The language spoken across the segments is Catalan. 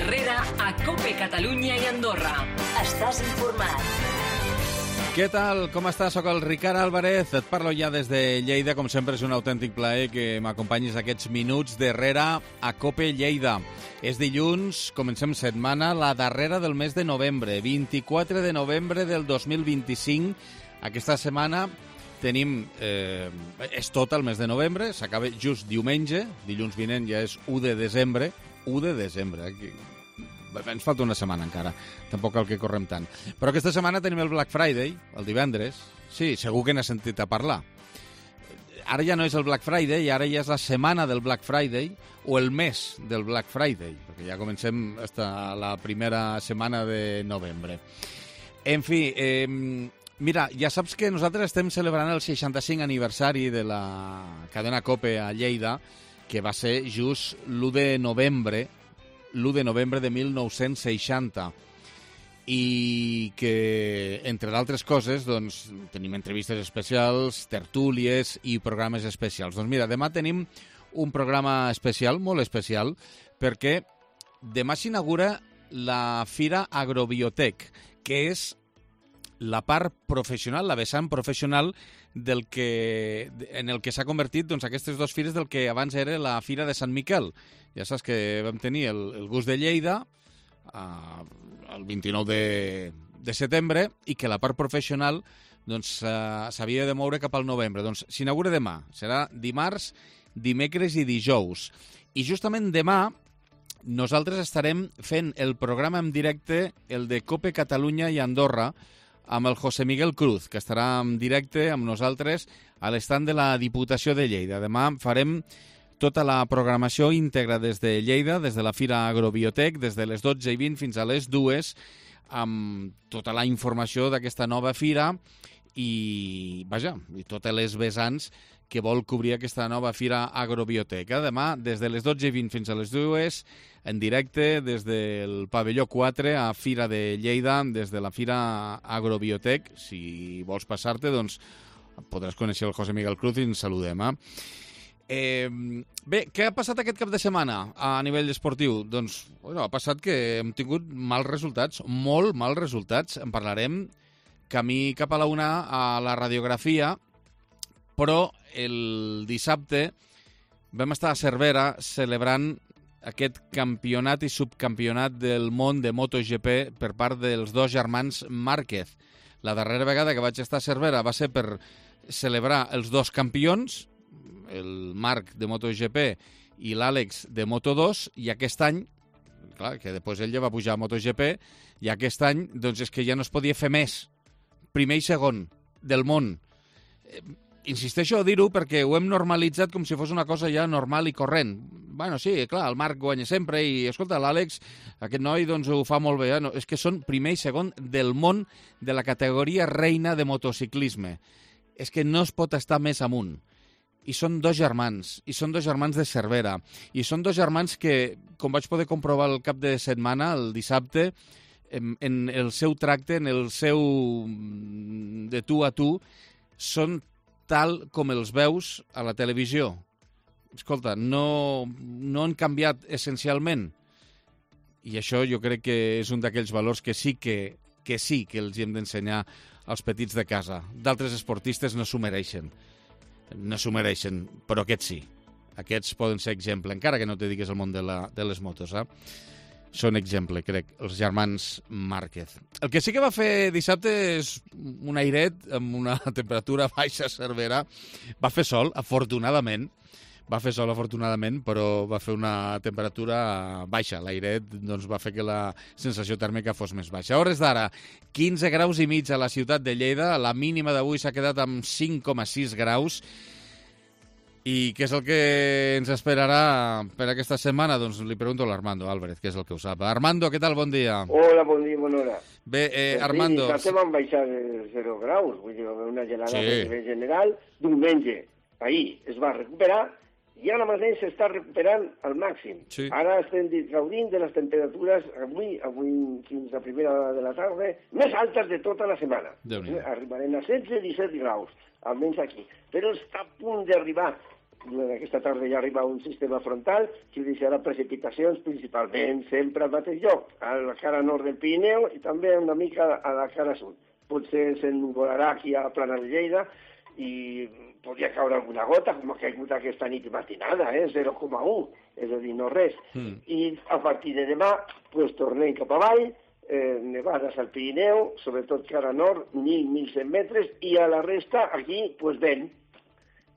Herrera a COPE Catalunya i Andorra. Estàs informat. Què tal? Com estàs? Soc el Ricard Álvarez. Et parlo ja des de Lleida. Com sempre, és un autèntic plaer que m'acompanyis aquests minuts d'Herrera a COPE Lleida. És dilluns, comencem setmana, la darrera del mes de novembre, 24 de novembre del 2025. Aquesta setmana tenim... és tot el mes de novembre, s'acaba just diumenge, dilluns vinent ja és 1 de desembre. 1 de desembre, ens falta una setmana encara, tampoc cal que correm tant. Però aquesta setmana tenim el Black Friday, el divendres. Sí, segur que n'has sentit a parlar. Ara ja no és el Black Friday, ara ja és la setmana del Black Friday o el mes del Black Friday, perquè ja comencem la primera setmana de novembre. En fi, mira, ja saps que nosaltres estem celebrant el 65 aniversari de la cadena COPE a Lleida, que va ser just l'1 de novembre de 1960, i que, entre d'altres coses, doncs, tenim entrevistes especials, tertúlies i programes especials. Doncs mira, demà tenim un programa especial, molt especial, perquè demà s'inaugura la Fira Agrobiotech, que és la part professional, la vessant professional en el que s'ha convertit doncs, aquestes dues fires del que abans era la Fira de Sant Miquel. Ja saps que vam tenir el gust de Lleida el 29 de setembre i que la part professional doncs, s'havia de moure cap al novembre. Doncs s'inaugura demà, serà dimarts, dimecres i dijous. I justament demà nosaltres estarem fent el programa en directe, el de COPE Catalunya i Andorra, amb el José Miguel Cruz, que estarà en directe amb nosaltres a l'estand de la Diputació de Lleida. Demà farem tota la programació íntegra des de Lleida, des de la Fira Agrobiotech, des de les 12:20 fins a les 2, amb tota la informació d'aquesta nova fira i totes les vessants que vol cobrir aquesta nova Fira Agrobiotech. Demà, des de les 12:20 fins a les 2, en directe des del pavelló 4 a Fira de Lleida, des de la Fira Agrobiotech. Si vols passar-te, doncs podràs conèixer el José Miguel Cruz i ens saludem. Bé, què ha passat aquest cap de setmana a nivell esportiu? Doncs ha passat que hem tingut mals resultats, molt mals resultats. En parlarem camí cap a la una a la radiografia, però el dissabte vam estar a Cervera celebrant aquest campionat i subcampionat del món de MotoGP per part dels dos germans Márquez. La darrera vegada que vaig estar a Cervera va ser per celebrar els dos campions, el Marc de MotoGP i l'Àlex de Moto2, i aquest any, clar, que després ell ja va pujar a MotoGP, i aquest any doncs és que ja no es podia fer més. Primer i segon del món. Insisteixo a dir-ho perquè ho hem normalitzat com si fos una cosa ja normal i corrent. Bueno, sí, clar, el Marc guanya sempre i, escolta, l'Àlex, aquest noi, doncs ho fa molt bé. No, és que són primer i segon del món de la categoria reina de motociclisme. És que no es pot estar més amunt. I són dos germans, i són dos germans de Cervera, i són dos germans que, com vaig poder comprovar el cap de setmana, el dissabte, en el seu tracte, en el seu de tu a tu, són tal com els veus a la televisió. Escolta, no han canviat essencialment. I això jo crec que és un d'aquells valors que sí que els hem d'ensenyar als petits de casa. D'altres esportistes no s'ho mereixen. No s'ho mereixen, però aquests sí. Aquests poden ser exemple, encara que no te digues el món de les motos. Són exemple, crec, els germans Márquez. El que sí que va fer dissabte és un airet amb una temperatura baixa a Cervera. Va fer sol, afortunadament. Però va fer una temperatura baixa. L'airet doncs, va fer que la sensació tèrmica fos més baixa. A hores d'ara, 15 graus i mig a la ciutat de Lleida. La mínima d'avui s'ha quedat amb 5,6 graus. I què és el que ens esperarà per aquesta setmana? Doncs li pregunto a l'Armando Álvarez, que és el que ho sap. Armando, què tal? Bon dia. Hola, bon dia, bona hora. Bé, Armando... Sí, dissabte van baixar 0 graus, vull dir, una gelada a nivell general. Diumenge, ahir es va recuperar i ara mateix s'està recuperant al màxim. Sí. Ara estem gaudint de les temperatures avui fins a primera hora de la tarda, més altes de tota la setmana. Arribarem a 16-17 graus, almenys aquí. Però està a punt d'arribar durant aquesta tarda ja arriba un sistema frontal que deixarà precipitacions principalment sempre al mateix lloc, a la cara nord del Pirineu i també una mica a la cara sud. Potser s'ennuvolarà aquí a la plana de Lleida i podria caure alguna gota, com ha caigut aquesta nit matinada, 0,1, és a dir, no res. I a partir de demà pues, tornem cap avall, nevades al Pirineu, sobretot cara nord, 1.000-1.100 metres, i a la resta, aquí, pues, vent.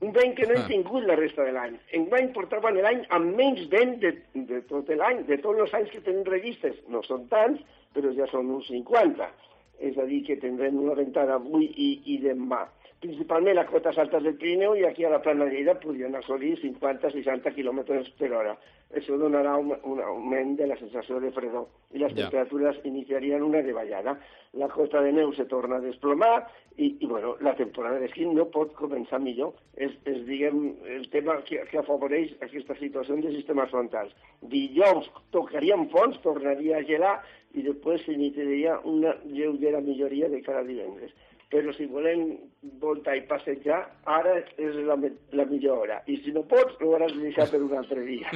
Un vent que no hem tingut la resta de l'any. Enguany portaven l'any amb menys vent de tot l'any, de tots els anys que tenim registres. No són tants, però ja són uns 50. És a dir, que tindrem una ventada avui i demà. Principalment a cotes altes del Pirineu i aquí a la plana de Lleida podrien assolir 50-60 km per hora. Això donarà un augment de la sensació de fredor i les temperatures iniciarien una davallada. La cota de neu se torna a desplomar i bueno, la temporada d'esquí no pot començar millor. És diguem, el tema que afavoreix aquesta situació de sistemes frontals. Dijous tocaríem fons, tornaria a gelar i després s'iniciaria una lleugera milloria de cara a divendres. Però si volem voltar i passejar, ara és la millor hora. I si no pots, ho hauràs de deixar per un altre dia.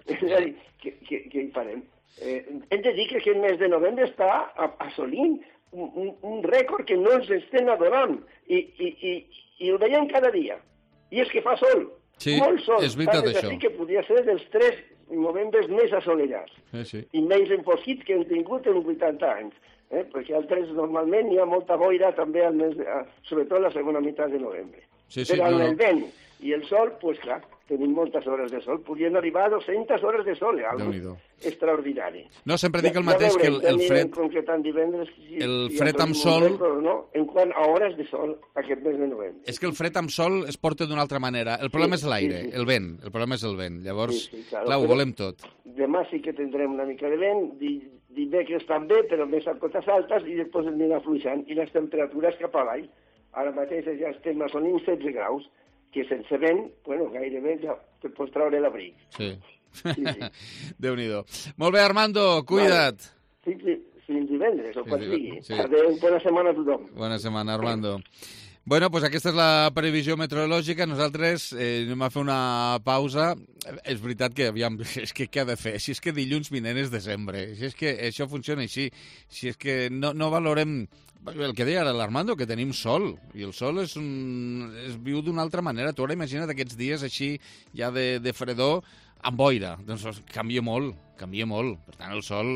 És a dir, què hi farem? Hem de dir que aquest mes de novembre està assolint un rècord que no ens estem adorant. I ho veiem cada dia. I és que fa sol. Sí, molt sol. és veritat això. Així que podria ser dels 3 novembres més assolellats. Sí. I menys enfosquits que hem tingut en 80 anys. Perquè altres normalment hi ha molta boira també al mes, sobretot la segona meitat de novembre. Però amb el vent i el sol, doncs clar, tenim moltes hores de sol. Podrien arribar a 200 hores de sol, algo extraordinari. No, sempre dic el mateix, que el fred... El fred amb sol... En quant a hores de sol aquest mes de novembre. És que el fred amb sol es porta d'una altra manera. El problema és l'aire, el vent. El problema és el vent. Llavors, clar, ho volem tot. Demà sí que tindrem una mica de vent, dimecres també, però més a cotes altes, i després anirà fluixant. I les temperatures cap avall. Ara mateix ja estem assolint 16 graus, que sense vent, bueno, gairebé ja te pots traure l'abric. Sí. Déu-n'hi-do. Molt bé, Armando, cuida't. Sí, fins divendres, o quan sigui. Adéu, bona setmana a tothom. Bona setmana, Armando. Bueno, doncs aquesta és la previsió meteorològica. Nosaltres anem a fer una pausa. És veritat que, aviam, és que què ha de fer? Si és que dilluns vinent és desembre, si és que això funciona així, si és que no valorem el que deia ara l'Armando, que tenim sol, i el sol es viu d'una altra manera. Tu ara imagina't aquests dies així, ja de fredor, amb boira. Doncs canvia molt. Per tant, el sol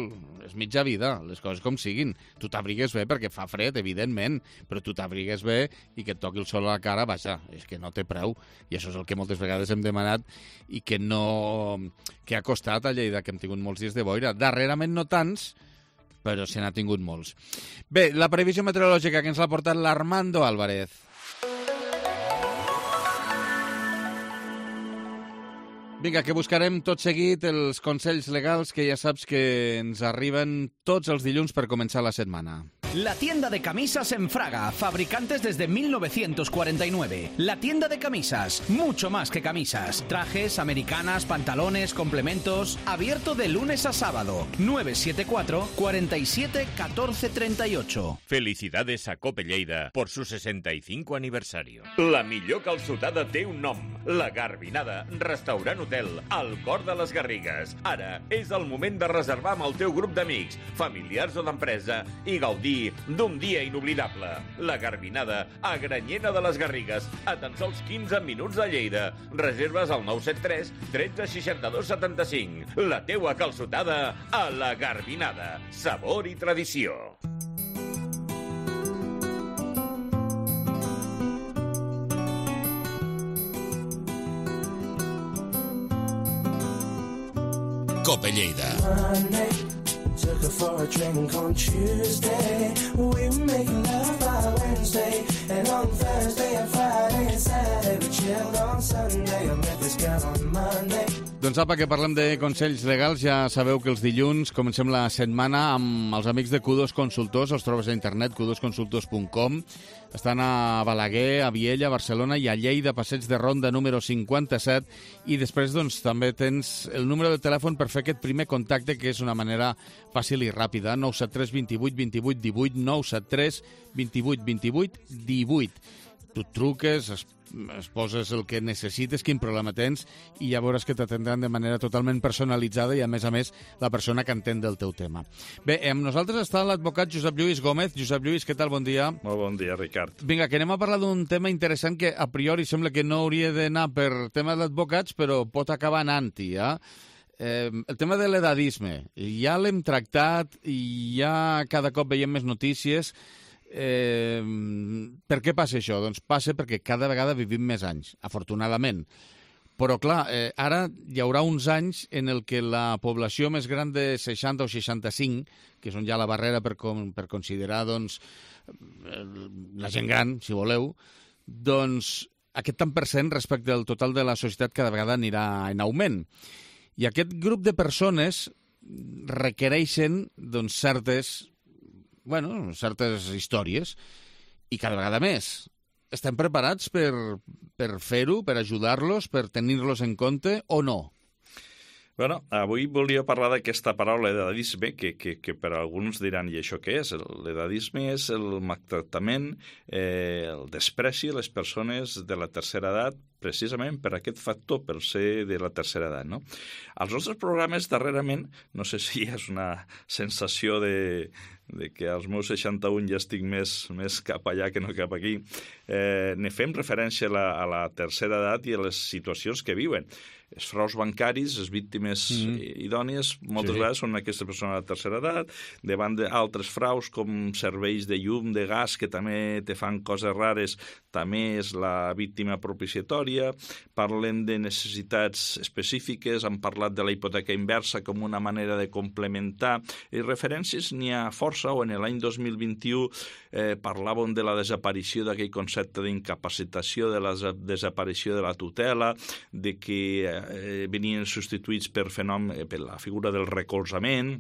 és mitja vida, les coses com siguin. Tu t'abrigues bé perquè fa fred, evidentment, però tu t'abrigues bé i que et toqui el sol a la cara, vaja, és que no té preu. I això és el que moltes vegades hem demanat i que ha costat a Lleida, que hem tingut molts dies de boira. Darrerament no tants, però se n'ha tingut molts. Bé, la previsió meteorològica que ens l'ha portat l'Armando Álvarez. Vinga, que buscarem tot seguit els consells legals que ja saps que ens arriben tots els dilluns per començar la setmana. La tienda de camisas en Fraga, fabricantes desde 1949. La tienda de camisas, mucho más que camisas. Trajes, americanas, pantalones, complementos. Abierto de lunes a sábado. 974 47 14 38. Felicidades a Cope Lleida por su 65 aniversario. La millor calçotada té un nom. La Garbinada, restaurant hotel, al cor de les Garrigues. Ara és el moment de reservar amb el teu grup d'amics, familiars o d'empresa i gaudir d'un dia inoblidable. La Garbinada, a Granyena de les Garrigues, a tan sols 15 minuts de Lleida. Reserves al 973 13 62 75. La teua calçotada a la Garbinada. Sabor i tradició. Cope Lleida. Took her for a drink on Tuesday. We were making love by Wednesday. And on Thursday and Friday and Saturday we chilled on Sunday. I met this girl on Monday. Doncs apa, que parlem de consells legals. Ja sabeu que els dilluns comencem la setmana amb els amics de Q2 Consultors. Els trobes a internet, q2consultors.com. Estan a Balaguer, a Viella, a Barcelona i a Lleida, Passeig de Ronda número 57. I després doncs, també tens el número de telèfon per fer aquest primer contacte, que és una manera fàcil i ràpida. 973 28 28 18, 973 28 28 18. tu truques, es poses el que necessites, quin problema tens, i ja veuràs que t'atendran de manera totalment personalitzada i, a més, la persona que entén del teu tema. Bé, amb nosaltres està l'advocat Josep Lluís Gómez. Josep Lluís, què tal? Bon dia. Molt bon dia, Ricard. Vinga, que anem a parlar d'un tema interessant que a priori sembla que no hauria d'anar per temes d'advocats, però pot acabar anant-hi, el tema de l'edadisme. Ja l'hem tractat i ja cada cop veiem més notícies. Per què passa això? Doncs passa perquè cada vegada vivim més anys, afortunadament. Però, clar, ara hi haurà uns anys en el que la població més gran de 60 o 65, que és on hi ha la barrera per considerar doncs, la gent gran, si voleu, doncs aquest tant per cent respecte al total de la societat cada vegada anirà en augment. I aquest grup de persones requereixen doncs, certes històries, i cada vegada més. Estem preparats per fer-ho, per ajudar-los, per tenir-los en compte o no? Bueno, avui volia parlar d'aquesta paraula, edadisme, que per alguns diran, i això què és? L'edadisme és el maltractament, el despreci a les persones de la tercera edat, precisament per aquest factor, per ser de la tercera edat, no? Als nostres programes, darrerament, no sé si és una sensació de que als meus 61 ja estic més cap allà que no cap aquí, ne fem referència a la tercera edat i a les situacions que viuen. Els fraus bancaris, les víctimes idònies, moltes vegades són aquestes persones de la tercera edat, davant d'altres fraus com serveis de llum, de gas, que també te fan coses rares, també és la víctima propiciatòria. Parlen de necessitats específiques, han parlat de la hipoteca inversa com una manera de complementar. I referències n'hi ha força, o en l'any 2021 parlàvem de la desaparició d'aquell concepte d'incapacitació, de la desaparició de la tutela, de que venien substituïts per la figura del recolzament,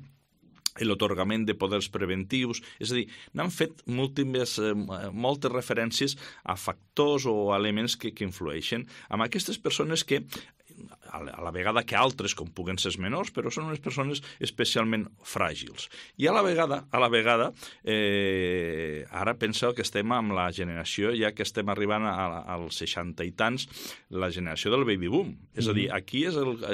l'atorgament de poders preventius. És a dir, n'han fet moltes referències a factors o elements que influeixen amb aquestes persones que a la vegada que altres, com puguen ser els menors, però són unes persones especialment fràgils. I a la vegada, ara penseu que estem amb la generació, ja que estem arribant als 60 i tants, la generació del baby boom. És a dir,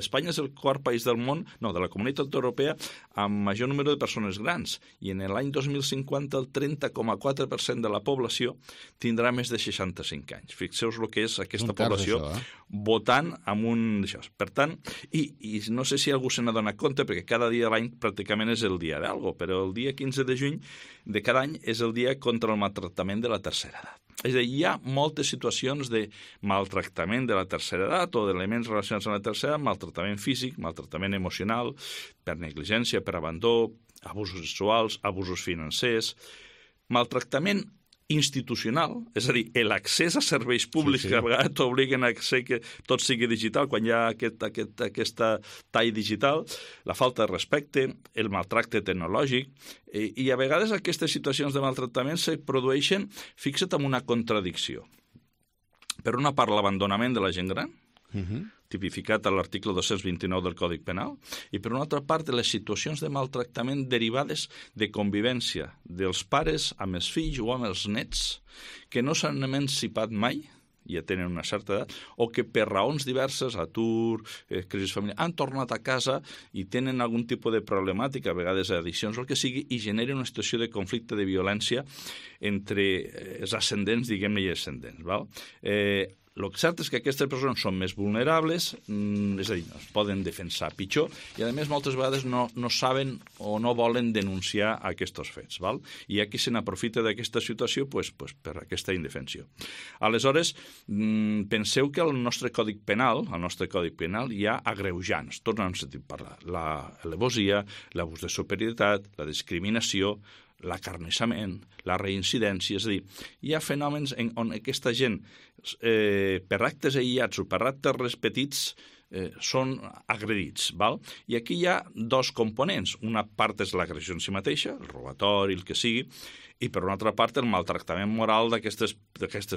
Espanya és el quart país del món, de la Comunitat Europea, amb major número de persones grans. I en l'any 2050 el 30,4% de la població tindrà més de 65 anys. Fixeu-vos el que és aquesta població votant amb un d'això. Per tant, i no sé si algú se n'adona compte, perquè cada dia de l'any pràcticament és el dia d'algo, però el dia 15 de juny de cada any és el dia contra el maltractament de la tercera edat. És a dir, hi ha moltes situacions de maltractament de la tercera edat o d'elements relacionats amb la tercera edat, maltractament físic, maltractament emocional, per negligència, per abandó, abusos sexuals, abusos financers, maltractament institucional, és a dir, l'accés a serveis públics que a vegades t'obliguen a que tot sigui digital quan hi ha aquesta tall digital, la falta de respecte, el maltracte tecnològic, i a vegades aquestes situacions de maltractament se produeixen, fixa't, amb una contradicció. Per una part, l'abandonament de la gent gran, tipificat a l'article 229 del Còdic Penal, i per una altra part les situacions de maltractament derivades de convivència dels pares amb els fills o amb els nets que no s'han emancipat mai, ja tenen una certa edat, o que per raons diverses, atur, crisi familiar, han tornat a casa i tenen algun tipus de problemàtica, a vegades addiccions o el que sigui, i generen una situació de conflicte, de violència entre els ascendents, diguem-ne, i ascendents. Val? El cert és que aquestes persones són més vulnerables, és a dir, es poden defensar pitjor, i a més moltes vegades no saben o no volen denunciar aquests fets. Val? I aquí se n'aprofita d'aquesta situació per aquesta indefensió. Aleshores, penseu que al nostre Còdic Penal hi ha agreujants, tots n'hem sentit parlar, l'alevosia, l'abús de superioritat, la discriminació, l'acarnissament, la reincidència, és a dir, hi ha fenòmens on aquesta gent, per actes aïllats o per actes petits, són agredits. Val? I aquí hi ha dos components. Una part és l'agressió en si mateixa, el robatori, el que sigui, i per una altra part el maltractament moral d'aquestes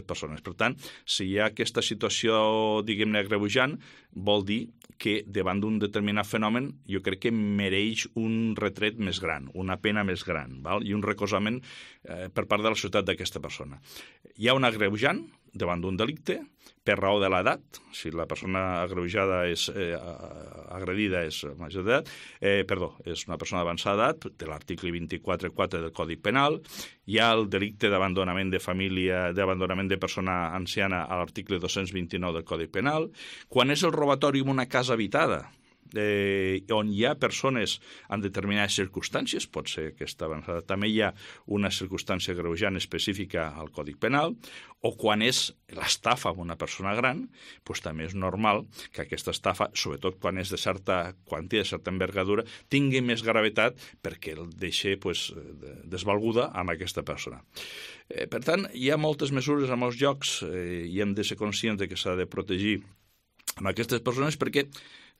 persones. Per tant, si hi ha aquesta situació, diguem-ne, agreujant, vol dir que davant d'un determinat fenomen jo crec que mereix un retret més gran, una pena més gran, val? I un recolzament per part de la societat d'aquesta persona. Hi ha un agreujant davant d'un delicte per raó de l'edat, si la persona agreujada és agredida és major d'edat, és una persona d'avançada edat, de l'article 24.4 del Codi Penal, hi ha el delicte d'abandonament de família, d'abandonament de persona anciana a l'article 229 del Codi Penal, quan és el robatori en una casa habitada, on hi ha persones en determinades circumstàncies, pot ser aquesta avançada, també hi ha una circumstància agreujant específica al Codi Penal, o quan és l'estafa amb una persona gran, doncs també és normal que aquesta estafa, sobretot quan és de certa quantia, de certa envergadura, tingui més gravetat perquè el deixi desvalguda amb aquesta persona. Per tant, hi ha moltes mesures a molts llocs i hem de ser conscients que s'ha de protegir amb aquestes persones perquè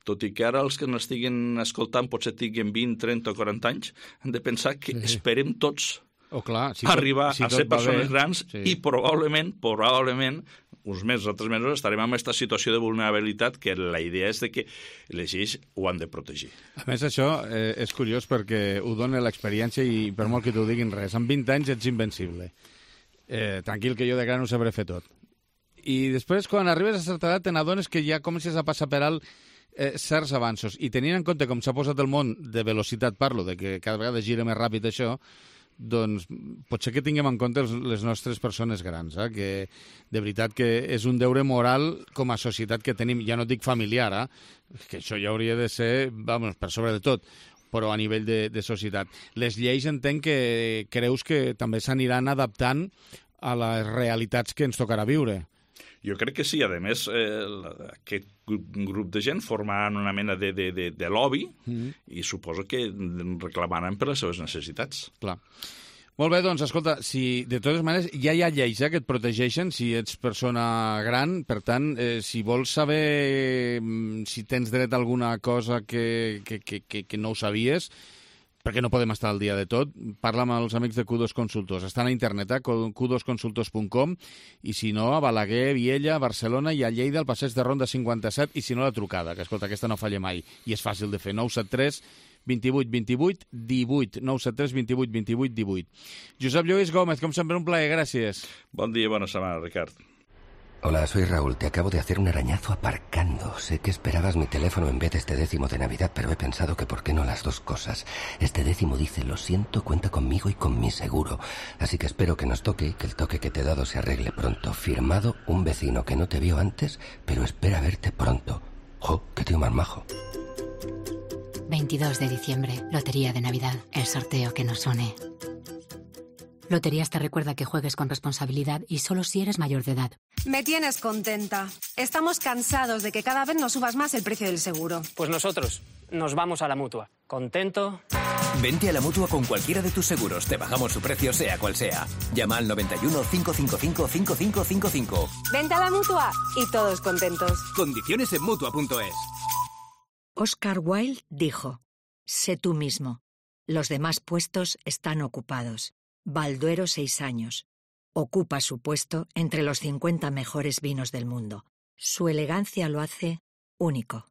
tot i que ara els que n'estiguin escoltant potser tinguin 20, 30 o 40 anys, hem de pensar que esperem tots arribar a ser persones grans i probablement, uns mesos o 3 mesos estarem en aquesta situació de vulnerabilitat que la idea és de que les lleis ho han de protegir. A més, això és curiós perquè ho dona l'experiència i per molt que t'ho diguin res, amb 20 anys ets invencible. Tranquil, que jo de gran ho sabré fer tot. I després, quan arribes a certa edat, te n'adones que ja comences a passar per alt certs avanços. I tenint en compte com s'ha posat el món de velocitat, parlo, de que cada vegada gira més ràpid això, doncs potser que tinguem en compte les nostres persones grans, que de veritat que és un deure moral com a societat que tenim, ja no dic familiar, que això ja hauria de ser, per sobre de tot, però a nivell de societat. Les lleis entenc que creus que també s'aniran adaptant a les realitats que ens tocarà viure. Jo crec que sí. A més, aquest grup de gent formaran una mena de lobby i suposo que reclamaran per les seves necessitats. Clar. Molt bé, doncs, escolta, si de totes maneres ja hi ha lleis que et protegeixen si ets persona gran, per tant, si vols saber si tens dret a alguna cosa que no ho sabies, perquè no podem estar al dia de tot, parla amb els amics de Q2 Consultors. Estan a internet, q2consultors.com, i si no, a Balaguer, Viella, Barcelona i a Lleida, al passeig de Ronda 57, i si no, la trucada, que escolta, aquesta no falla mai, i és fàcil de fer, 973 28 28 18, 973 28 28 18. Josep Lluís Gómez, com sempre, un plaer, gràcies. Bon dia i bona setmana, Ricard. Hola, soy Raúl. Te acabo de hacer un arañazo aparcando. Sé que esperabas mi teléfono en vez de este décimo de Navidad, pero he pensado que por qué no las dos cosas. Este décimo dice, lo siento, cuenta conmigo y con mi seguro. Así que espero que nos toque y que el toque que te he dado se arregle pronto. Firmado, un vecino que no te vio antes, pero espera verte pronto. ¡Jo, qué tío más majo! 22 de diciembre, Lotería de Navidad, el sorteo que nos une. Loterías te recuerda que juegues con responsabilidad y solo si eres mayor de edad. Me tienes contenta. Estamos cansados de que cada vez nos subas más el precio del seguro. Pues nosotros nos vamos a la Mutua. ¿Contento? Vente a la Mutua con cualquiera de tus seguros. Te bajamos su precio sea cual sea. Llama al 91 555 5555. Vente a la Mutua y todos contentos. Condiciones en Mutua.es. Oscar Wilde dijo, sé tú mismo. Los demás puestos están ocupados. Balduero 6 años. Ocupa su puesto entre los 50 mejores vinos del mundo. Su elegancia lo hace único.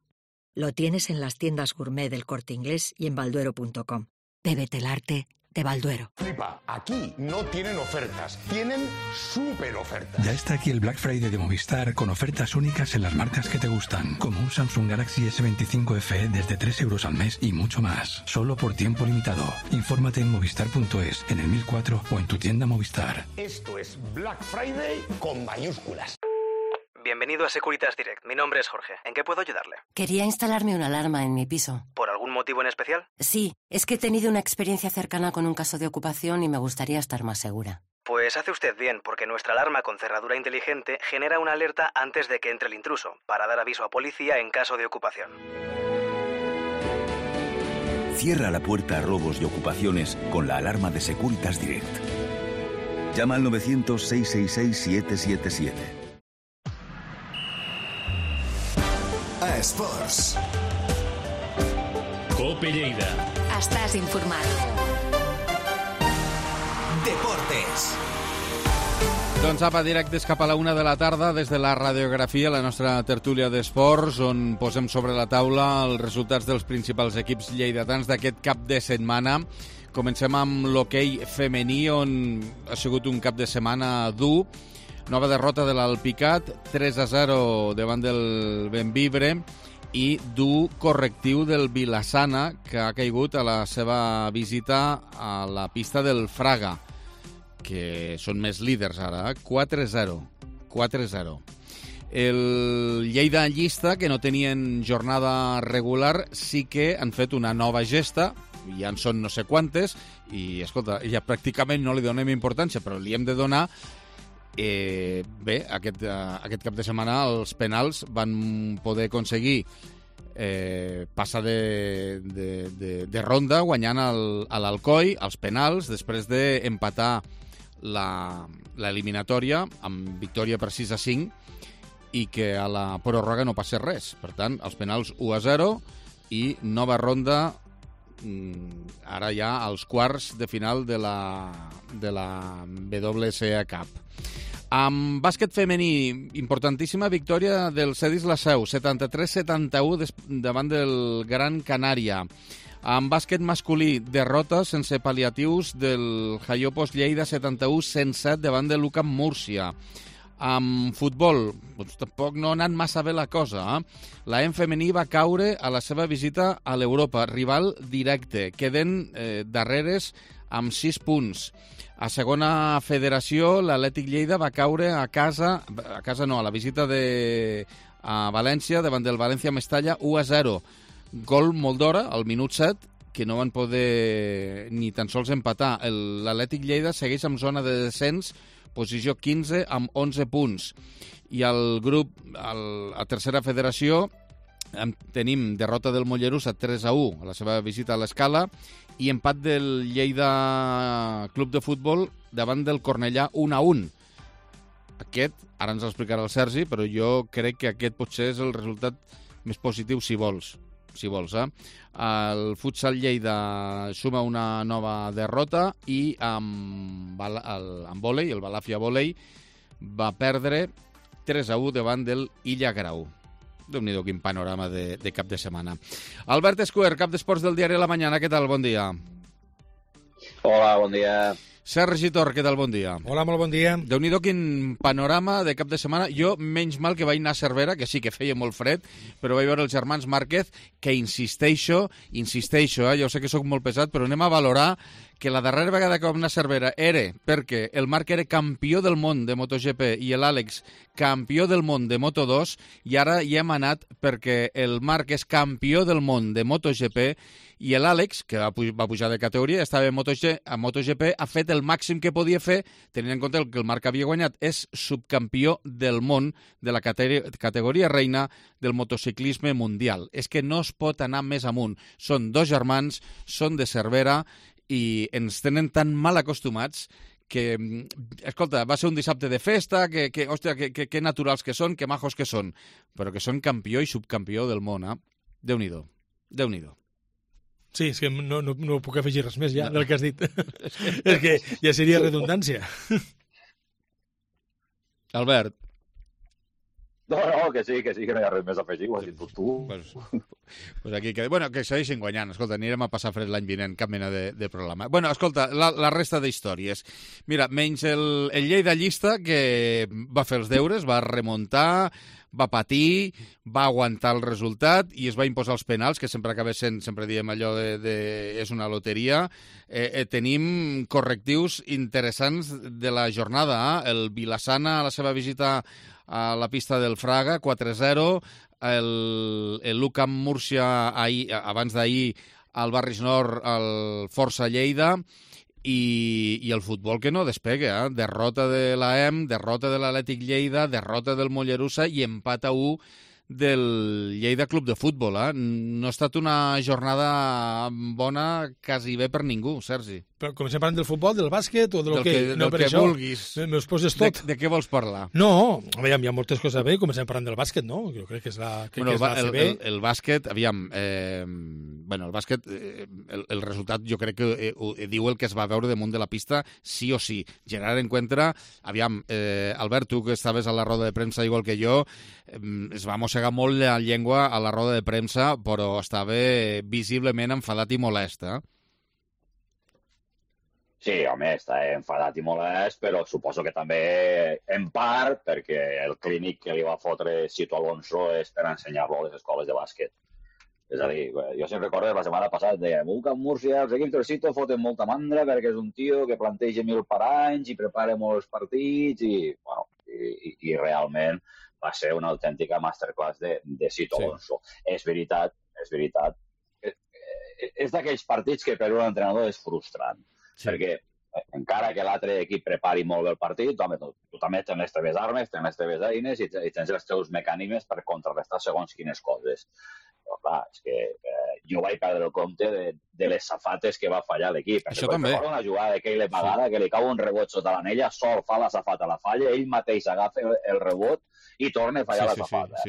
Lo tienes en las tiendas gourmet del Corte Inglés y en balduero.com. Bébete el arte de Balduero. Flipa, aquí no tienen ofertas, tienen súper ofertas. Ya está aquí el Black Friday de Movistar con ofertas únicas en las marcas que te gustan, como un Samsung Galaxy S25 FE desde 3 euros al mes y mucho más, solo por tiempo limitado. Infórmate en movistar.es, en el 1004 o en tu tienda Movistar. Esto es Black Friday con mayúsculas. Bienvenido a Securitas Direct. Mi nombre es Jorge. ¿En qué puedo ayudarle? Quería instalarme una alarma en mi piso. ¿Por algún motivo en especial? Sí, es que he tenido una experiencia cercana con un caso de ocupación y me gustaría estar más segura. Pues hace usted bien, porque nuestra alarma con cerradura inteligente genera una alerta antes de que entre el intruso, para dar aviso a policía en caso de ocupación. Cierra la puerta a robos y ocupaciones con la alarma de Securitas Direct. Llama al 900-666-777. A Esports. Cope Lleida. Estàs informat. Deportes. Doncs apa, directes cap a la 1 de la tarda des de la radiografia, la nostra tertúlia d'esports, on posem sobre la taula els resultats dels principals equips lleidatans d'aquest cap de setmana. Comencem amb l'hoquei femení, on ha sigut un cap de setmana dur, Nova derrota de l'Alpicat, 3-0 davant del Bembibre, i dur correctiu del Vilassana, que ha caigut a la seva visita a la pista del Fraga, que són més líders ara, 4-0. El Lleida llista, que no tenien jornada regular, sí que han fet una nova gesta, ja en són no sé quantes, i, escolta, ja pràcticament no li donem importància, però li hem de donar. Bé, aquest cap de setmana els penals van poder aconseguir passar de ronda guanyant a l'Alcoi als penals després d'empatar l'eliminatòria amb victòria per 6-5 i que a la pròrroga no passés res. Per tant, els penals 1-0 i nova ronda ara ja als quarts de final de la WSA Cup. Amb bàsquet femení, importantíssima victòria del Cedis La Seu, 73-71 davant del Gran Canària. Amb bàsquet masculí, derrota sense pal·liatius del Jaiopos Lleida, 71-107 davant de l'UCAM Múrcia. Amb futbol, doncs tampoc no ha anat massa bé la cosa. La EM femení va caure a la seva visita a l'Europa, rival directe. Queden darreres amb 6 punts. A segona federació, l'Atlètic Lleida va caure a la visita a València, davant del València Mestalla, 1-0. Gol molt d'hora, al minut 7, que no van poder ni tan sols empatar. L'Atlètic Lleida segueix en zona de descens, posició 15 amb 11 punts. I al grup, a tercera federació, tenim derrota del Mollerussa 3-1 a la seva visita a l'Escala i empat del Lleida Club de Futbol davant del Cornellà 1-1. Aquest, ara ens l'explicarà el Sergi, però jo crec que aquest potser és el resultat més positiu si vols. El Futsal Lleida suma una nova derrota i amb vòlei, el Balàfia Vòlei, va perdre 3-1 davant del Illa Grau. Déu-n'hi-do, quin panorama de cap de setmana. Albert Escuer, cap d'esports del diari La Mañana, què tal? Bon dia. Hola, bon dia. Sergi Tor, què tal? Bon dia. Hola, molt bon dia. Déu-n'hi-do, quin panorama de cap de setmana. Jo, menys mal que vaig anar a Cervera, que sí que feia molt fred, però vaig veure els germans Márquez, que insisteixo, jo sé que sóc molt pesat, però anem a valorar que la darrera vegada que vam anar a Cervera era perquè el Marc era campió del món de MotoGP i l'Àlex campió del món de Moto2, i ara hi hem anat perquè el Marc és campió del món de MotoGP i l'Àlex, que va pujar de categoria, estava a MotoGP, ha fet el màxim que podia fer, tenint en compte que el Marc havia guanyat, és subcampió del món de la categoria reina del motociclisme mundial. És que no es pot anar més amunt. Són dos germans, són de Cervera, i ens tenen tan mal acostumats que, escolta, va ser un dissabte de festa, hòstia, que naturals que són, que majos que són, però que són campió i subcampió del món, Déu-n'hi-do. Sí, és que no puc afegir res més ja del que has dit. És que ja seria redundància. Albert. No, que sí, que no hi ha res més a afegir, ho has dit tu. Pues aquí que segueixin guanyant. Escolta, anirem a passar fred l'any vinent, cap mena de problema. Bueno, escolta, la resta d'històries. Mira, menys el Lleida llista, que va fer els deures, va remuntar, va patir, va aguantar el resultat i es va imposar els penals, que sempre acaba sent, sempre diem allò és una loteria. Tenim correctius interessants de la jornada. El Vilassana, a la seva visita a la pista del Fraga, 4-0, l'UCAM Múrcia abans d'ahir al Barris Nord, el Força Lleida, i el futbol que no despega, derrota de l'AEM, derrota de l'Atlètic Lleida, derrota del Mollerussa i empat a 1 del Lleida Club de Futbol. No ha estat una jornada bona quasi bé per ningú, Sergi. Però comencem parlant del futbol, del bàsquet o del que vulguis. Me'ls poses tot. De què vols parlar? No, aviam, hi ha moltes coses bé, comencem parlant del bàsquet, no? Jo crec que és la CB. El bàsquet, aviam, el bàsquet, el resultat jo crec que diu el que es va veure damunt de la pista, sí o sí. Generar en compte, aviam, Albert, tu que estaves a la roda de premsa igual que jo, es va mossegar molt la llengua a la roda de premsa, però estava visiblement enfadat i molest, Sí, home, està enfadat i molest, però suposo que també, en part, perquè el clínic que li va fotre Sito Alonso és per ensenyar-lo a les escoles de bàsquet. És a dir, jo sempre recordo la setmana passada, dèiem, Camp Múrcia, els equips del Sito foten molta mandra perquè és un tio que planteja 1000 per anys i prepara molts partits i, bueno, i realment va ser una autèntica masterclass de Sito Alonso. És veritat, és d'aquells partits que per un entrenador és frustrant, perquè encara que l'altre equip prepari molt bé el partit, home, tu també tens les teves armes, tens les teves eines i tens els teus mecanismes per contrarrestar segons quines coses. Però clar, és que jo vaig perdre el compte de les safates que va fallar l'equip. Això també. Recordo una jugada de Keyle Pagada que li cau un rebot sota l'anella, sol fa la safata, la falla, ell mateix agafa el rebot i torna a fallar la safata.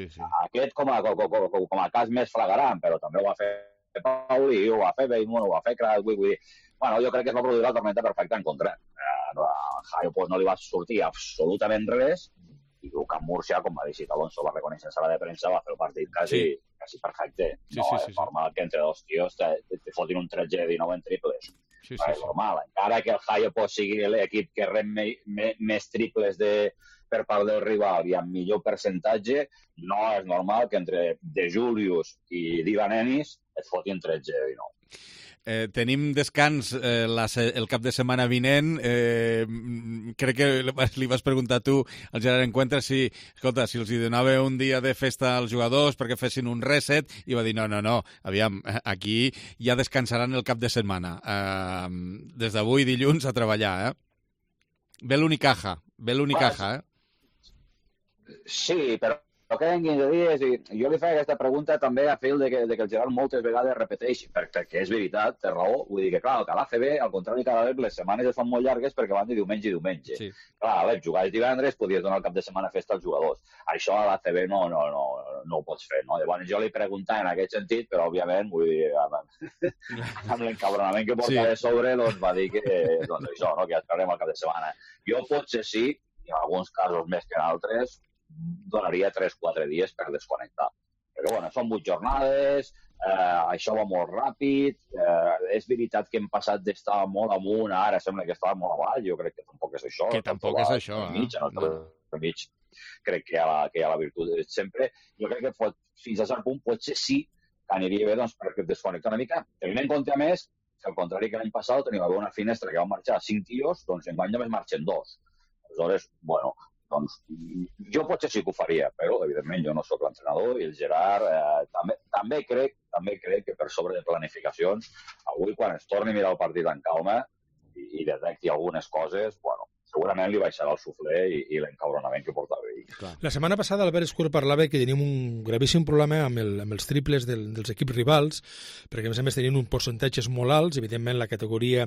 Aquest com a cas més flagrant, però també ho va fer Pauli, ho va fer Beymoun, ho va fer Krat, vull dir... Bueno, jo crec que es va produir la tormenta perfecta en contra. A Jaio pues, no li va sortir absolutament res i el Camp Múrcia, com va dir Sito Alonso, va reconèixer en sala de premsa, va fer el partit quasi perfecte. És normal que entre dos tios te fotin un 13 de 19 en triples. És normal. Encara que el Jaio pues, sigui l'equip que rep més triples per part del rival i amb millor percentatge, no és normal que entre De Julius i Divan Ennis et fotin 13 de 19. Tenim descans el cap de setmana vinent. Crec que li vas preguntar tu al Gerard Encuentra si els donava un dia de festa als jugadors perquè fessin un reset i va dir no, aviam, aquí ja descansaran el cap de setmana. Des d'avui dilluns a treballar, Ve l'Unicaja, Sí, però queden 15 dies i jo li faig aquesta pregunta també a fil de que el Gerard moltes vegades repeteix, perquè és veritat, té raó, vull dir que clar, que a l'ACB, al contrari cada vegada les setmanes es fan molt llargues perquè van de diumenge i diumenge. Sí. Clar, jugaves divendres, podies donar el cap de setmana festa als jugadors. Això a l'ACB no ho pots fer, no? Llavors jo li preguntava en aquest sentit, però òbviament, vull dir, amb l'encabronament que portava de sobre, doncs va dir que això, no? Que ja esperarem el cap de setmana. Jo potser sí, i en alguns casos més que en altres, donaria 3-4 dies per desconnectar. Perquè, bueno, són 8 jornades, això va molt ràpid, és veritat que hem passat d'estar molt amunt, ara sembla que estava molt avall, jo crec que tampoc és això. Que tampoc és això. Mig, crec que hi ha la virtut sempre. Jo crec que fins a cert punt potser sí que aniria bé doncs, perquè desconnectar una mica. Tenint en compte, a més, que al contrari que l'any passat tenim una finestra que van marxar 5 tios, doncs enguany només marxen 2. Aleshores, bueno, doncs jo potser sí que ho faria, però evidentment jo no sóc l'entrenador i el Gerard també crec que per sobre de planificacions avui quan es torni a mirar el partit en calma i detecti algunes coses, bueno, segurament li baixarà el suflé i l'encabronament que portava ell. La setmana passada Albert Escur parlava que tenim un gravíssim problema amb els triples dels equips rivals, perquè a més tenien uns percentatges molt alts, evidentment la categoria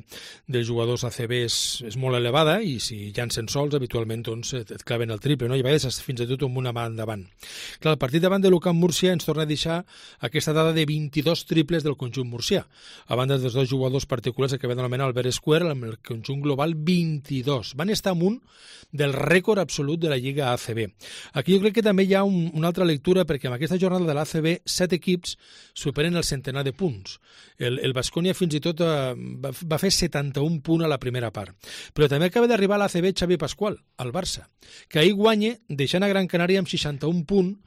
dels jugadors ACB és molt elevada i si llancen sols habitualment doncs, et claven el triple, no? I a vegades fins i tot amb una mà endavant. Clar, el partit davant de l'UCAM Múrcia ens torna a deixar aquesta dada de 22 triples del conjunt murcià, a banda dels dos jugadors particulars que van anomenar Albert Escur, amb el conjunt global 22. Van estar amunt del rècord absolut de la Lliga ACB. Aquí jo crec que també hi ha una altra lectura perquè en aquesta jornada de l'ACB 7 equips superen el centenar de punts. El Baskonia fins i tot va fer 71 punts a la primera part. Però també acaba d'arribar a l'ACB Xavi Pascual, al Barça, que ahir guanya deixant a Gran Canària amb 61 punts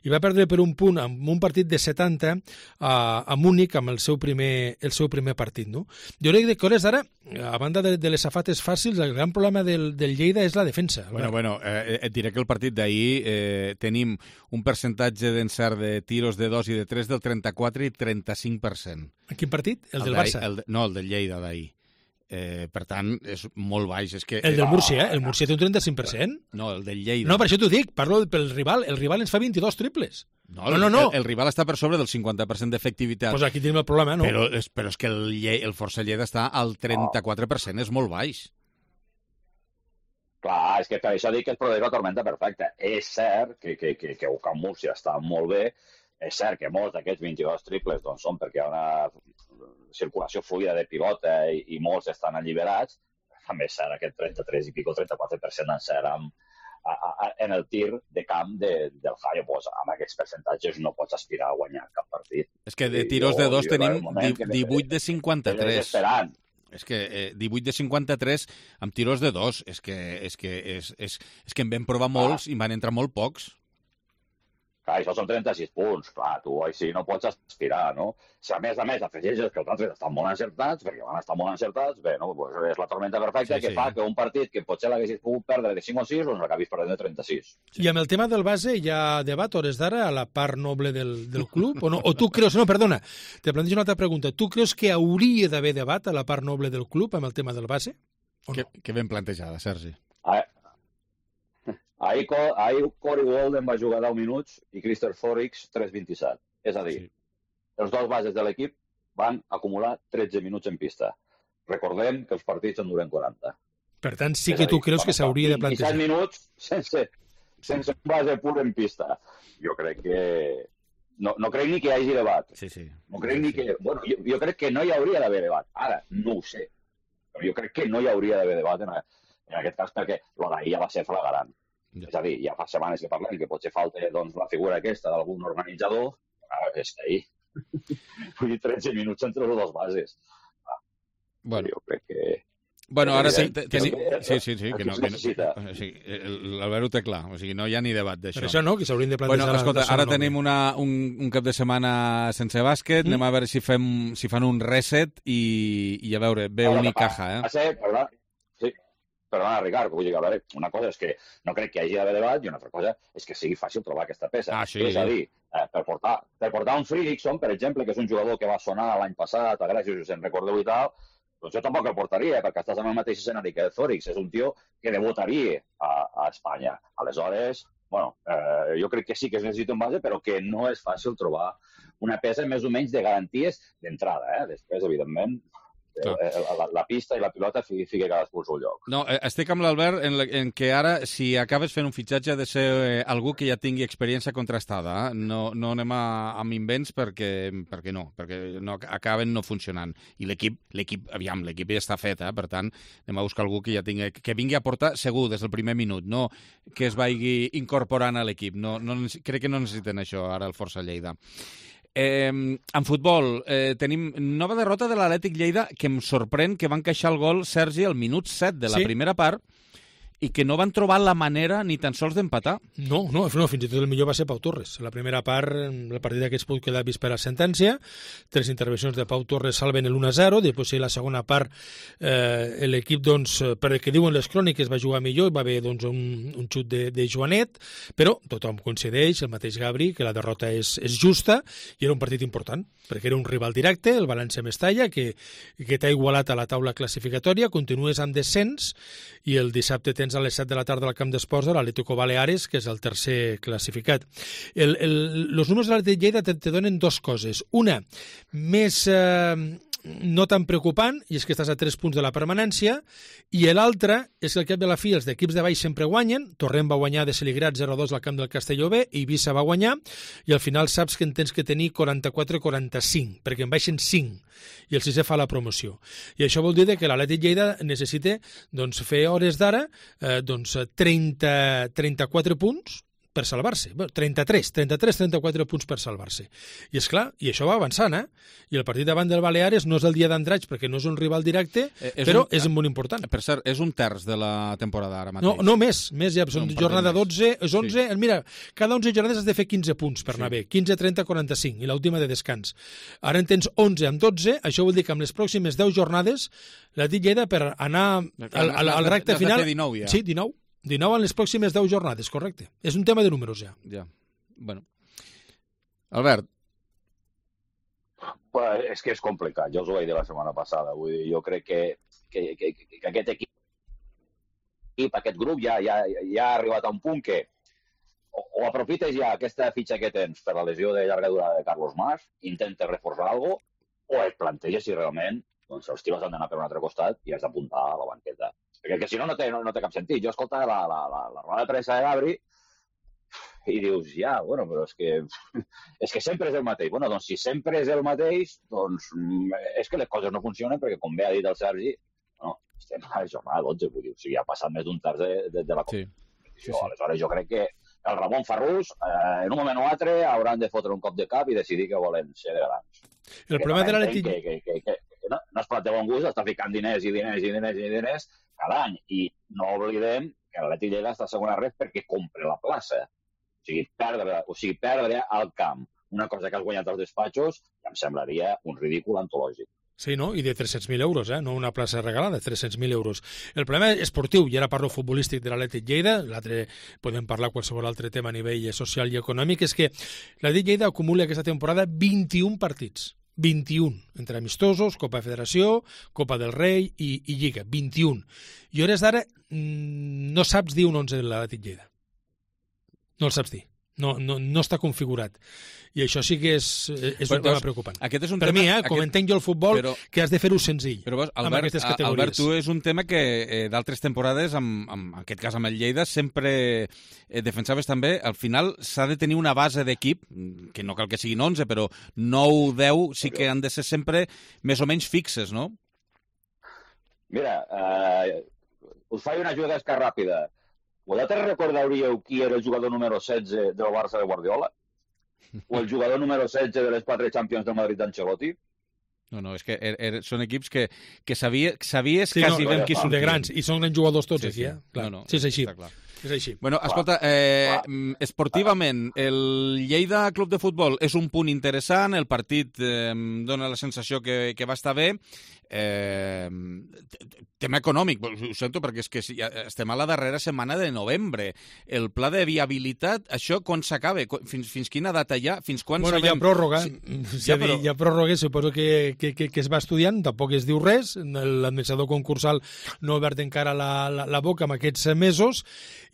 i va perdre per un punt amb un partit de 70 a Múnich amb el seu primer partit. No? Jo crec que hores d'ara, a banda de les safates fàcils, el gran problema del Lleida és la defensa. Bueno, et diré que el partit d'ahir tenim un percentatge d'encert de tiros de 2 i de 3 del 34 i 35%. En quin partit? El del Barça? No, el del Lleida d'ahir. Per tant, és molt baix. És que, el del Múrcia, el Múrcia té un 35%? No, el del Lleida. No, per això t'ho dic, parlo pel rival. El rival ens fa 22 triples. No. El rival està per sobre del 50% d'efectivitat. Pues aquí tenim el problema, no? Però és que el Força Lleida està al 34%, és molt baix. Clar, és que per això dic que es produeix la tormenta perfecta. És cert que UCAM Múrcia està molt bé, és cert que molts d'aquests 22 triples doncs, són perquè hi ha una circulació fluida de pilota i molts estan alliberats, també és cert aquest 33 i pico, 34% d'encert en el tir de camp del Jaio. Pues, amb aquests percentatges no pots aspirar a guanyar cap partit. És que de tiros de dos tenim 18 de 53. és que 18 de 53 amb tiros de 2. És que en vam provar molts i van entrar molt pocs. Clar, això són 36 punts. Clar, tu així no pots aspirar, no? Si a més afegeixes que els altres estan molt encertats, perquè van estar molt encertats, bé, no? Pues és la tormenta perfecta que fa que un partit que potser l'haguessis pogut perdre de 5 o 6, doncs l'acabis perdent de 36. I amb el tema del base hi ha debat, hores d'ara, a la part noble del club? O no? O tu creus... No, perdona, te plantejo una altra pregunta. Tu creus que hauria d'haver debat a la part noble del club amb el tema del base? No? Que ben plantejada, Sergi. Ahir Corey Walden va jugar 10 minuts i Christopher Forrix 3:27. És a dir, els dos bases de l'equip van acumular 13 minuts en pista. Recordem que els partits en duren 40. Per tant, sí que tu creus que s'hauria de plantejar. 27 minuts sense un base pur en pista. Jo crec que... No crec ni que hi hagi debat. No crec ni que... Bueno, jo crec que no hi hauria d'haver debat. Ara, no ho sé. Però jo crec que no hi hauria d'haver debat en aquest cas perquè lo d'ahir ja va ser flagrant. És a dir, ja fa setmanes que parlem que potser falta la figura aquesta d'algun organitzador, és que ahir. Vull dir, 13 minuts entre les dues bases. Bueno. Jo crec que... Bueno, ara tenim... Sí, que no... L'Albert ho té clar, o sigui, no hi ha ni debat d'això. Per això no, que s'haurien de plantejar... Bueno, escolta, ara tenim un cap de setmana sense bàsquet, anem a veure si fan un reset i a veure, ve Unicaja, Perdona, Ricard, vull dir que una cosa és que no crec que hi hagi d'haver debat i una altra cosa és que sigui fàcil trobar aquesta peça. És a dir, per portar un Fredrickson, per exemple, que és un jugador que va sonar l'any passat, a Gràcia, si us en recordeu i tal, doncs jo tampoc el portaria, perquè estàs en el mateix escenari que el Forrix. És un tio que debutaria a Espanya. Aleshores, bueno, jo crec que sí que es necessita un base, però que no és fàcil trobar una peça més o menys de garanties d'entrada. Després, evidentment... La pista i la pilota fica cadascú al seu lloc. No, estic amb l'Albert en què ara, si acabes fent un fitxatge, ha de ser algú que ja tingui experiència contrastada. No anem amb invents perquè no acaben no funcionant. I l'equip ja està fet, per tant, anem a buscar algú que vingui a portar segur des del primer minut, no que es vagi incorporant a l'equip. Crec que no necessiten això ara el Força Lleida. En futbol, tenim nova derrota de l'Atlètic Lleida, que em sorprèn que van queixar el gol, Sergi, al minut 7 de la primera part, i que no van trobar la manera ni tan sols d'empatar. No, fins i tot el millor va ser Pau Torres. La primera part, el partit d'aquests pot quedar vist per a sentència, 3 intervencions de Pau Torres salven el 1-0, després la segona part l'equip, doncs, per que diuen les cròniques, va jugar millor, va haver doncs, un xut de Joanet, però tothom coincideix, el mateix Gabri, que la derrota és justa i era un partit important, perquè era un rival directe, el València Mestalla, que t'ha igualat a la taula classificatòria, continues amb descens i el dissabte tens a les 7 de la tarda al camp d'esports de l'Atlético Baleares, que és el tercer classificat. Els números de l'Atlètic Lleida te donen dues coses. Una, més no tan preocupant, i és que estàs a 3 punts de la permanència, i l'altra és que al cap de la fi els d'equips de baix sempre guanyen. Torrent va guanyar de Celigrat 0-2 al camp del Castelló B, Eivissa va guanyar, i al final saps que en tens que tenir 44-45, perquè en baixen 5, i el sisè fa la promoció. I això vol dir que l'Atlètic Lleida necessita doncs, fer hores d'ara 34 punts per salvar-se. 34 punts per salvar-se. I és clar, i això va avançant, I el partit davant del Baleares no és el dia d'Andratx perquè no és un rival directe, però és molt important. Per cert, és un terç de la temporada ara mateix. No, més ja, són jornada 12, és 11, mira, cada 11 jornades has de fer 15 punts per anar bé, 15, 30, 45, i l'última de descans. Ara en tens 11 amb 12, això vol dir que amb les pròximes 10 jornades l'Atlètic Lleida per anar al recte final... 19 ja. Sí, 19 en les pròximes 10 jornades, correcte. És un tema de números, ja. Ja, bueno. Albert. És que és complicat, jo us ho vaig dir la setmana passada. Vull dir, jo crec que aquest equip, aquest grup ja ha arribat a un punt que o aprofites ja aquesta fitxa que tens per la lesió de llarga durada de Carlos Mas, intentes reforçar alguna cosa, o et planteges si realment doncs, els tiros han d'anar per un altre costat i has d'apuntar a la banqueta. Perquè si no, no té cap sentit. Jo escoltava la roda de premsa de Gabri i dius, bueno, però és que sempre és el mateix. Bueno, doncs si sempre és el mateix, doncs és que les coses no funcionen perquè, com bé ha dit el Sergi, estem a la jornada 12, vull dir, o sigui, ha passat més d'un terç de la competició. Aleshores, jo crec que el Ramon Farrús, en un moment o altre, hauran de fotre un cop de cap i decidir que volen ser de grans. El problema de l'Atlètic... no es plat de bon gust, està ficant diners cada any. I no oblidem que l'Atlètic Lleida està a segona ref perquè compra la plaça. O sigui, perdre al camp una cosa que has guanyat als despatxos em semblaria un ridícul antològic. Sí, no? I de 300.000 euros, no una plaça regalada, 300.000 euros. El problema esportiu, i ara parlo futbolístic de l'Atlètic Lleida, l'altre podem parlar qualsevol altre tema a nivell social i econòmic, és que l'Atlètic Lleida acumula aquesta temporada 21 partits. 21, entre amistosos, Copa de Federació, Copa del Rei i Lliga, 21. I a hores d'ara no saps dir un 11 de l'Atlètic Lleida. No el saps dir. No està configurat. I això sí que és un tema preocupant. Aquest és un per tema, mi, com entenc jo el futbol, que has de fer-ho senzill. Però, Albert, tu és un tema que d'altres temporades, en aquest cas amb el Lleida, sempre defensaves també. Al final s'ha de tenir una base d'equip, que no cal que siguin 11, però 9, 10 sí que han de ser sempre més o menys fixes, no? Mira, us faig una jugada ràpida. Vosaltres recordaríeu qui era el jugador número 16 del Barça de Guardiola? O el jugador número 16 de les 4 Champions del Madrid d'Ancelotti? No, és que són equips que sabies quasi ben qui sortien. De grans, i són grans jugadors tots aquí, Clar. Sí, és així. És així. Bueno, escolta, esportivament, el Lleida Club de Futbol és un punt interessant, el partit dona la sensació que va estar bé. Tema econòmic, ho sento perquè és que estem a la darrera setmana de novembre. El pla de viabilitat, això quan s'acaba? Fins quina data hi ha? Fins quan sabem? Hi ha pròrroga, hi ha pròrroga, suposo que es va estudiant, tampoc es diu res, l'administrador concursal no ha obert encara la boca en aquests mesos,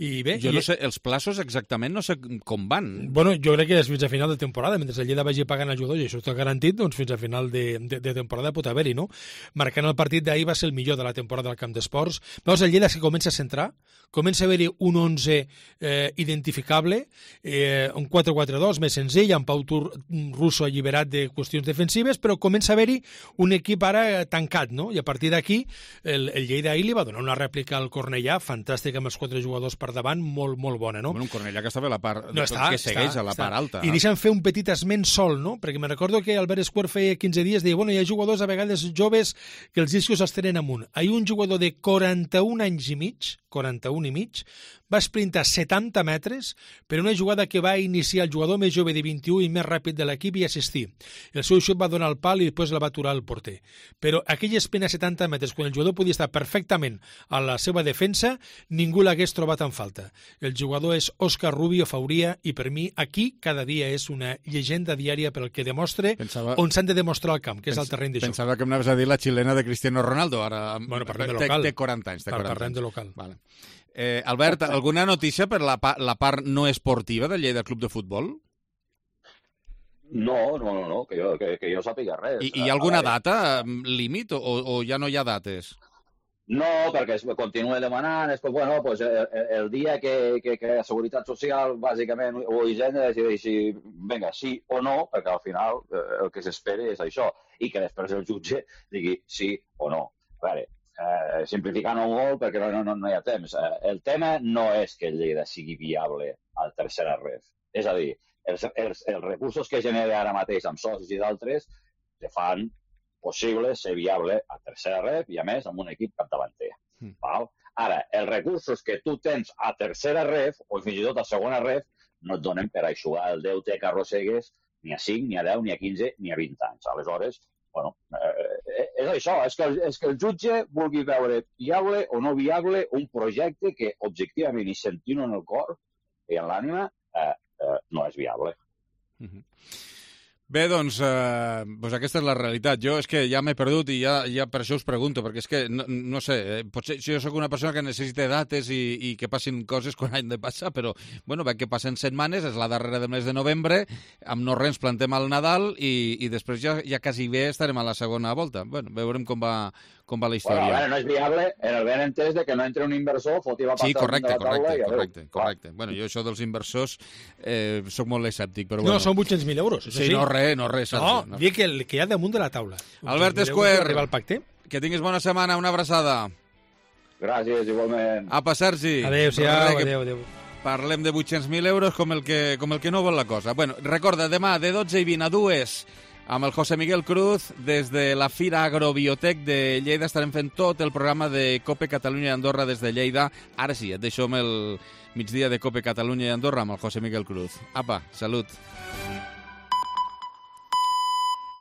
i bé... Jo no sé, els plaços exactament no sé com van. Bueno, jo crec que és fins a final de temporada, mentre el Lleida vagi pagant el jugador, i això està garantit, doncs fins a final de temporada pot haver-hi, no? Marcant el partit d'ahir va ser el millor de la temporada al Camp d'Esports. Veus, el Lleida que comença a centrar, comença a haver-hi un 11 identificable, un 4-4-2 més senzill, amb Pau Russo alliberat de qüestions defensives, però comença a haver-hi un equip ara tancat, no? I a partir d'aquí, el Lleida ahir li va donar una rèplica al Cornellà, fantàstica, amb els 4 jugadors per davant, molt, molt bona, no? Bueno, un Cornellà que estava a la part... que segueix a la part alta. I deixa'm fer un petit esment sol, no? Perquè me recordo que Albert Esquer feia 15 dies, deia, bueno, hi ha jugadors a vegades joves que els discos els tenen amunt. Hi ha un jugador de 41 anys i mig, 41 i mig, va sprintar 70 metres per una jugada que va iniciar el jugador més jove de 21 i més ràpid de l'equip i assistir. El seu xut va donar el pal i després la va aturar el porter. Però aquell sprint a 70 metres, quan el jugador podia estar perfectament a la seva defensa, ningú l'hagués trobat en falta. El jugador és Òscar Rubio Fauria i per mi aquí cada dia és una llegenda diària per el que demostra on s'han de demostrar el camp, que és el terreny de joc. Pensava que m'anaves a dir la xilena de Cristiano Ronaldo, ara bueno, parlem de local. Té 40 anys. Parlem de local. Vale. Albert, alguna notícia per la part no esportiva del Lleida Club de Futbol? No, que jo sàpiga res. I hi ha alguna data límit o ja no hi ha dates? No, perquè es continua demanant, bueno, pues el dia que la Seguretat Social, bàsicament, o Hisenda decideixi, vinga, sí o no, perquè al final el que s'espera és això, i que després el jutge digui sí o no. A veure, simplificant-ho molt perquè no hi ha temps. El tema no és que el Lleida sigui viable al tercera ref. És a dir, els recursos que genera ara mateix amb socis i d'altres que fan possible ser viable a tercera ref i, a més, amb un equip capdavanter. Ara, els recursos que tu tens a tercera ref, o fins i tot a segona ref, no et donen per aixugar el deute que arrossegues ni a 5, ni a 10, ni a 15, ni a 20 anys. Aleshores, bueno, és això, és que el jutge vulgui veure viable o no viable un projecte que, objectivament, i sentint-ho en el cor i en l'ànima, no és viable. Bé, doncs aquesta és la realitat. Jo és que ja m'he perdut i ja per això us pregunto, perquè és que, no sé, potser jo sóc una persona que necessita dates i que passin coses quan han de passar, però, bueno, veig que passen setmanes, és la darrera del mes de novembre, amb no res plantem al Nadal i després ja quasi bé estarem a la segona volta. Bueno, veurem com va la història. Bueno, a veure, no és viable en el ben entès de que no entre un inversor, foti la pasta de la taula i adéu. Correcte. Bueno, jo això dels inversors sóc molt escèptic, però bueno. No, són 800.000 euros, això sí. No, res. No, dic que hi ha damunt de la taula. Albert Esquer, que tinguis bona setmana, una abraçada. Gràcies, igualment. Apa, Sergi. Adéu. Parlem de 800.000 euros com el que no vol la cosa. Bueno, recorda, demà de 12 i 20 a 2 Amb el José Miguel Cruz, des de la Fira Agrobiotec de Lleida, estarem fent tot el programa de COPE Catalunya i Andorra des de Lleida. Ara sí, et deixo amb el migdia de COPE Catalunya i Andorra amb el José Miguel Cruz. Apa, salut.